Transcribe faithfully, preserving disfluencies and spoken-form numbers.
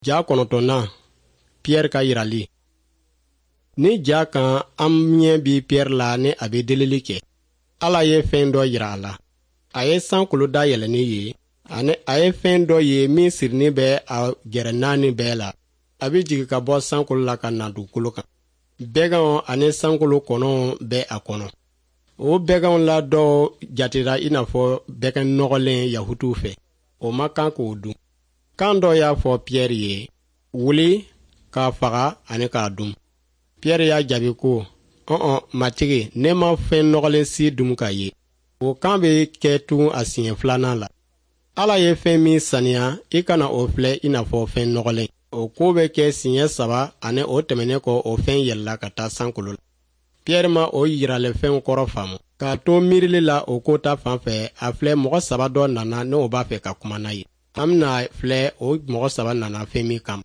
Ja kɔnɔntɔnnan, Piyɛri ka yirali. Ni ja kan, an ɲɛ bi Piyɛri la ni a bɛ delili kɛ. Ala ye fɛn dɔ yira a la. A ye sankolo dayɛlɛnnen ye, ani a ye fɛn dɔ ye min sirinin bɛ a gɛrɛ naani bɛɛ la. A bɛ jigin ka bɔ sankolo la ka na dugukolo kan. Bɛganw ani sankolo kɔnɔw bɛ a kɔnɔ. O bɛganw la dɔw jatera i n'a fɔ bɛgan nɔgɔlen Yahutuw fɛ. O man kan k'o dun. Kan dɔ y'a fɔ Piyɛri ye, wuli k'a faga ani k'a dun. Piyɛri y'a jaabi ko, ɔn Matigi, ne ma fɛn nɔgɔlen si dun ka ye. O kan bɛ kɛ tugun a siɲɛ filanan la. Ala ye fɛn min saniya, i kana o filɛ i n'a fɔ fɛn nɔgɔlen. O ko bɛ kɛ siɲɛ saba, ani o tɛmɛnen kɔ, o fɛn yɛlɛla ka taa sankolo la. Piyɛri ma o yiralifɛnw kɔrɔ faamu. K'a to miirili la o ko ta fan fɛ, a filɛ, mɔgɔ saba dɔ nana n'o b'a fɛ ka kuma n'a ye. An bɛna filɛ o mɔgɔ saba nana fɛn min kama.